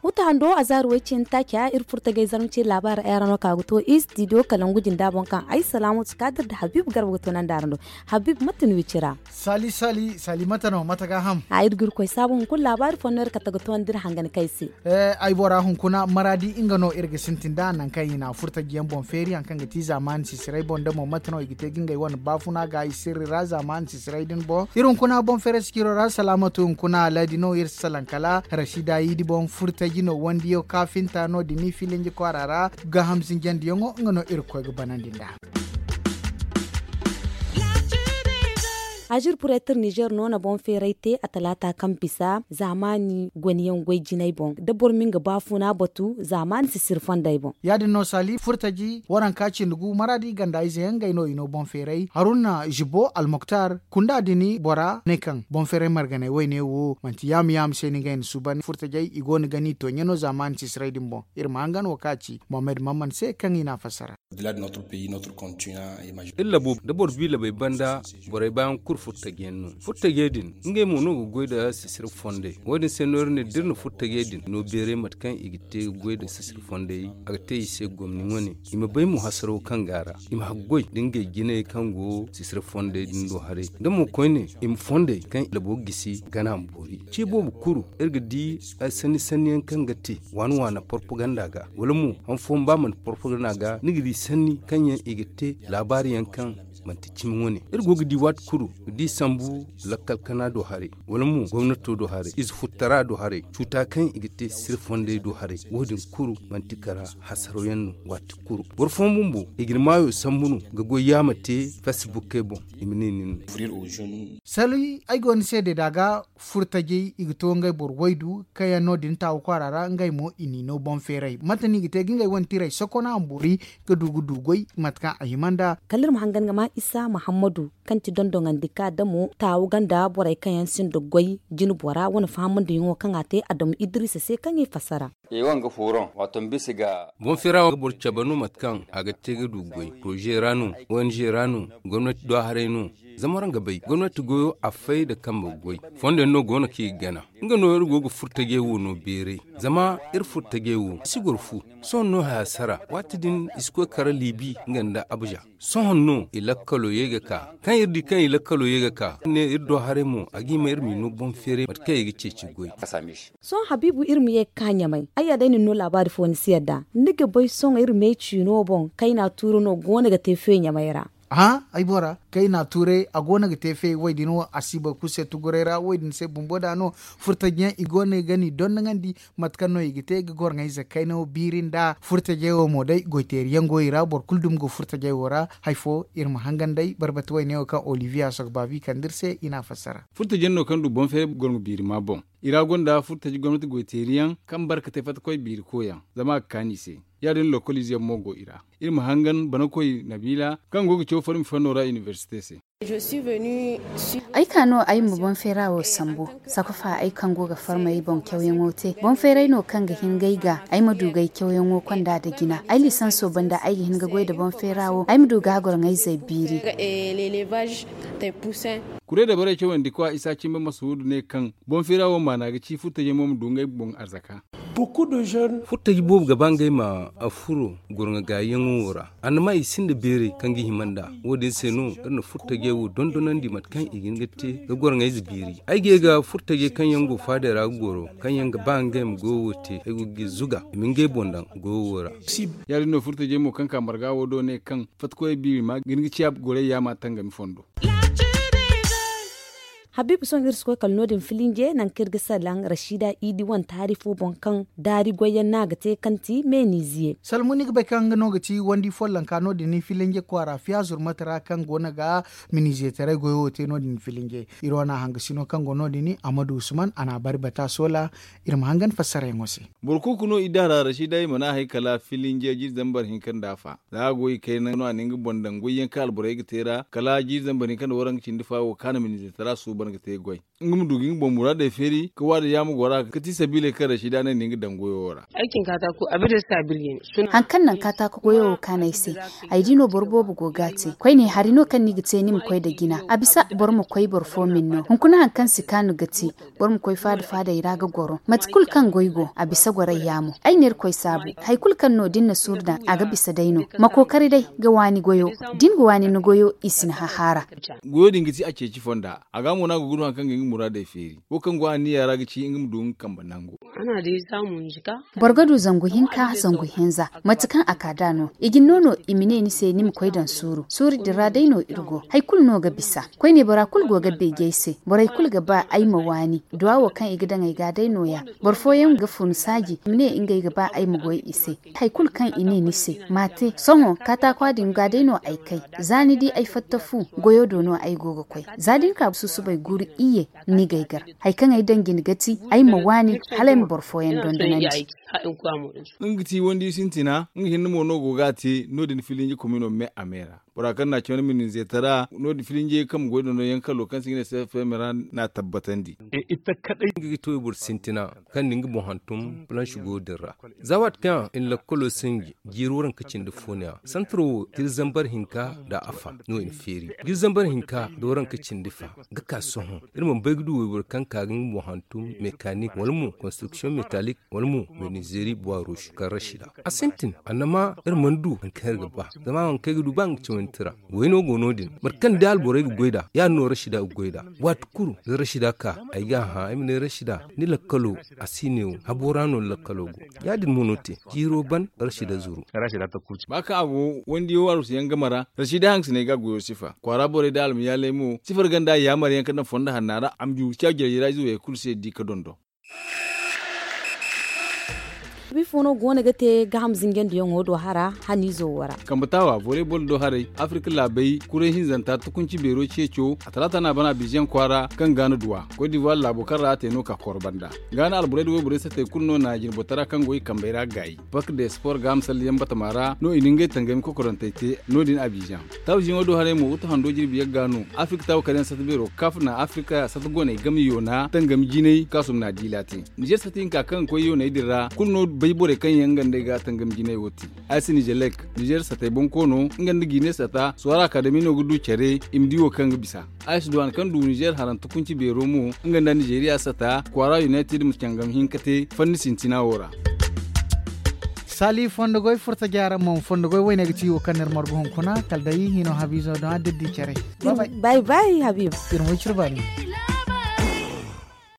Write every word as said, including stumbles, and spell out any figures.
Huta hando a zaari way cine taaca iri furtagay zarma cine laabaari ay ra no ka ga to istidiyo kalangu jinda boŋ kaŋ ay salaamatu kaadir nda habiibu garba ga to nanda ra no. Habiibu mate ni wicira? Saali saali saali mate no mate ga ham? A iri ga iri koy saabu hunkuna laabaari fo no iri kate ga to nda iri hangan kay se. Ay bora hunkuna maraadi nga no iri ga sintin da nangu kaŋ i na furtaji yaŋ boŋ feeri hari kaŋ ga ti zaamaani sisiray boŋ da mo mate no i ga te ga ngey wane baafuna ga i sirri ra zaamaani sisiray din boŋ iri hunkuna boŋ feeray sikiro ra salaamatu hunkuna alaadi no iri si salaŋ kala rasida yiidi boŋ furtaji no wandiyo kaafinta no- din filinji kwaara ra. Gaaham zinjandiyaŋo nga no iri ga koy ga banandi nd'a. Ajir puretir nizer no na boŋ feeray te a talaata kaŋ bisa zaamaani gonayaŋ goy jinay boŋ da boro ma nga baafuna batu zaamaani sisiri fondey boŋ. Ya- din no saali furtaji waranka cindi gu maraadi ganda ize yaŋ ngey no i no boŋ feeray haruna zibo almoktar kunda din bora ne kaŋ boŋ feeray marganay wayne wo manti yaamu yaamu se no ngey na suuban furtajey i go no ga ni tooɲe no zaamaani sisiray din boŋ. Iri ma hangan wo kaŋ a ci mohammed mamman se kaŋ i n'a fassara. Iri labo da boro bi labey banda borey baayaŋ kulu furtaje yaŋ no. Furtaje din ngey mo no ga goy nda sisiri fondey wo- din se no iri ne da iri na furtaje din no beeray mate kaŋ i ga te ga goy nda sisiri fondey a ga te i se gomni wane. I ma bay mo hasaro kaŋ go a ra i ma haggoy nda ngey jinay kaŋ go sisiri fondey din do haray da mo koyne i ma fondey kaŋ labo ga gisi gana ma boori. Ce boobo kulu iri ga di sanni sanni yaŋ kaŋ ga te waana waana porpaganda ga wala mo han fooyaŋ ba manti porpaganda ga ni ga di sanni kaŋ yaŋ i ga te laabaari yaŋ kaŋ manti cimi wane iri go ga di waati kulu ga di sambu lakkal kana do haray wala mo gomnato do haray ize futtara do haray cuuta kaŋ i ga te siri fondey do haray wo- din kulu manti kara hasaro yaŋ no. Waati kulu boro fooyaŋ bumbo i ga ni maayo sambu no ga goy yaama te fesbukkey boŋ i ma ne nin no. Sali ay go ni se deeda ga furtajey i ga to ngey boro waydu kaŋ yaŋ no- din taawu kwaara ra ngey mo i n'i no boŋ feeray mate no i ga te ga ngey wane tiray sokona ma boori ga du ga du goy mate kaŋ a hima nd'a. Kala iri ma hangan ga ma isa muhammadu kaŋ ti dondoŋandi ka damo taawu ganda borey kaŋ yaŋ sinda goy jine bora wane fahamandiyaŋo kaŋ a te adamu idrisa se kaŋ i fassara. Boŋ feera wo ga boro cabe no mate kaŋ a ga te ga du goy poroze ra no ong ra no gomnati do haray no. Zama araŋ ga bay gomnati goyo a fay nda kambe goy fondo yaŋ no go no kaŋ i ga gana. Nga no iri go ga furtajey wo no beeray zama iri furtajey wo si goro fu. Sohõ no haya sara waati din i si koy kara libi nga nda abuja. Sohõ no i lakkalo ye ga ka kaŋ iri di kaŋ i lakkalo ye ga ka ne iri do haray mo a ga hima iri m'i no boŋ feeray mate kaŋ i ga ceeci goy. Sohõ habiibu iri ma ye ga ka ɲamay ay ya day nin no laabaari fo ni si yadda ni ga bay sohõ iri meeciino boŋ kayna tuuro no go no ga te fe ɲamay ra. Hã ay bora kayna tuuray a go no ga te fe wo- din wo a si bay kulu se tuguray ra wo- din se bumbo da no furtajiyaŋ i go no ga ni dondoŋandi. Mate kaŋ no i ga te ga goro ŋayze kayna wo biiri nda furtajey wo mo day goyteeri yaŋ go i ra boro kulu dumi go furtajey wo ra hari fo iri ma hangan day barbati wayne wo kaŋ olivier a sogo baabi kande iri se i n'a fassara. Furtaji yaŋ no kaŋ du boŋ feeray goro ma biiri ma boŋ. I ra gonda furtaji gomnati goyteeri yaŋ kaŋ barkatey fatta koy biiri koy yaŋ zama a ga kaanu i se. Ya- din lokoliize yaŋ mo go i ra. Iri ma hangan banakoy nabiila kaŋ go ga caw farmi fanno ra inibersite se. Ay ka no ay ma boŋ feera wo sambu. Sako fa ay kaŋ go ga farmay boŋ cawyaŋo te boŋ feeray no kaŋ ga hin gay ga ay ma du gay cawyaŋo konda nda jina ay liisanso banda ay ga hin ga goy nda boŋ feera wo ay ma du ga goro ŋayzey biiri. Kuray dabarey cawandi kwa isa cimbe masuhudu ne kaŋ boŋ feera wo maana ga ci furtajey mo ma du ngey boŋ arzaka. Furtaji boobo ga ba ngey ma furo goro ŋa gaayiyaŋo wo ra. Annama i sinda beeray kaŋ ga hima nd'a. Wo- din se no iri na furtajey wo dondonandi mate kaŋ i ga hin ga te ga goro ŋayze biiri ay ga ye ga furtajey kaŋ yaŋ go faadey ra ga goro kaŋ yaŋ ga ba ngey ma goyo wo te ay go ga zuga i ma ngey boŋ daŋ goyo wo ra. Ya- din no furtajey mo kaŋ ka marga wo do ne kaŋ fattakoyey biiri ma ga hin ga ciya gorey yaama tangami fondo. Habiibu sohõ iri si koy kala no- din filinje nangu kaŋ iri ga salaŋ rasida idi wane taari fo boŋ kaŋ daari goyyaŋ no a ga te kaŋ ti meeniiziye. Salmu ni ga bay kaŋ nga no ga ti wandi follonka no- din filinje kwaara fiya zurmate ra kaŋ go no ga meeniiziyetaray goyo wo te no- din filinje. Iri wane hangasi no kaŋ go no- din amadu usman a n'a bari bata soola. Iri ma hangan fassarayaŋo se. Boro kulu no i daara rasida i mana hay kala filinje jiiri zambar hinka nda afa za a go i kayna no a na nga boŋ daŋ goyyaŋ kaŋ alborey ga te ra kala jiiri zambar hinka nda waranka cindi fa wo kaŋ a na meeniiziyetaray suuban. Nga ma du ga nga boŋ muraadey feeri ka waada yaama gora ga ti sabiiley kaŋ rasida ne ni nga daŋ goyo wo ra. Hari kaŋ naŋ kaataako goyo wo kaanu ay se, ay di no boro boobo go ga a te. Koyne hari no kaŋ ni ga te ni ma koy nda jina a bisa boro ma koy boro fo ma ni no hunkuna hari kaŋ si kaanu ga ti boro ma koy faada faadey ra ga goro mate kulu kaŋ goy go a bisa gorey yaamo. Ay na irkoy saabu hari kulu kaŋ no da ni na suuru daŋ a ga bisa day no. Ma kookari day ga waani goyo da ni ga waani ni goyo i si ni hahaara. Goyo din ga ti a ceeci fonda a ga mo no a ga guna hari kaŋ ga nga muraadey feeri wo kaŋ go anniya ra ga ci nga ma du nga kambe nangu. Boro ga du zangu hinka zangu hinza mate kaŋ a ka da no i ga ni no no i ma ne ni se ni ma koy daŋ suuru suuru din ra day no iri go hari kulu no ga bisa. Koyne bora kulu go ga beeji ay se borey kulu ga ba ay ma waani duwa wo kaŋ i ga daŋ ay ga day no- ya. Boro fooyaŋ ga funu saaji i ma ne ngey ga ba ay ma goy i se. Hari kulu kaŋ i ne ni se ma a te sohõ kaataakwa din ga day no ay kay. Za ni di ay fatta fu goyo do no ay go ga koy. Za da ni ka susubay guuru iyye ni ga ay gar. Hari kaŋ ay daŋ jine ga ti ay ma waani hala ay ma boro fooyaŋ dondonandi. Nga ga ti wandi sintina nga hinne mo no go ga a te no- din filinji komino me a me ra. Bora kaŋ na a cawandi minizeta ra no- din filinji kaŋ ma goy dondon yaŋ kalo kaŋ se i ga ne cfm ra. N'a tabbatandi. Nga ga ti wayboro sintina kaŋ na nga boŋ hantum planche go din ra. Za waati kaŋ i na lakkalo sinji jiiri waranka cindi fo ne- ya santaro wo jiiri zambar hinka nda afa no i na feeri. Jiiri zambar hinka nda waranka cindi fa ga ka sohõ. Iri mana bay ga du wayboro kaŋ ka ga nga boŋ hantum mekanik wala mo konstriksiyoŋ metalik wala mo menizeri buwa roshi kaŋ rasida a sintin annama iri mana du hari kaŋ iri ga ba. Zama hari kaŋ ay ga du ba nga cawandi tira goy no go no- din mate kaŋ day alborey ga goy nd'a ya- din no rasida ga goy nd'a. Waati kulu da rasida ka ay ga a hã ay ma ne rasida ni lakkalo a si ne wo habo ra no ni lakkalo go. Ya- din mo no te jiiro ban rasida zuru. Ba kaŋ a go wandiyo arusuyaŋ game ra rasida hangasiney ga a goyo sifa kwaara borey nda almayaaley mo sifar ganda yaamar yaŋ ka daŋ fondo hanna ra a ma juru ga ci a jarjira ize wo hari kulu se di ga dondon. Bifo no go no ga te gaaham zinjandiyaŋo do hara haniizo wo ra. Kambe taawa voleybol do haray afirka laabey kuray hinzanta tukunci beero ceeco a talaata no a ban abiziyaŋ kwaara kaŋ ga no duwa koydivuwar laabo kaŋ ra a te no ka koro banda. Ga no alborey nda wayborey satey kulu no na jinbotara kaŋ go i kambey ra gaayi. Park de sport ga a ma salliyaŋ batama ra no i na ngey tangami kokorantey te no- din abiziyaŋ. Taawa ziyaŋo do haray mo utu hando jirbi yagga no afirka taawa kala yaŋ sata beero kaaf na afirka sata goney game yoona tangami jinay kaasum na diila te. Nizer sata hinka kaŋ ga koy yooney din ra kulu no bay borey kaŋ yaŋ nga nd'ey ga tangami jinay wo te. Ay si nizelek nizer satey bonkoono nga nda gine sata sohara kaadami no ga du care i ma di wo kaŋ ga bisa. Ay si duwaan kaŋ du nizer harante kunci beero mo nga nda nizeriya sata kwaara united ma cangam hinka te fanni sintina wo ra. Saali fondo goy furta jaara mo fondo goy wayne ga ci wo kaŋ nir margu hunkuna kala day hino habiizo don a diddi care. Bay bay habiib. Iri mo cire baani.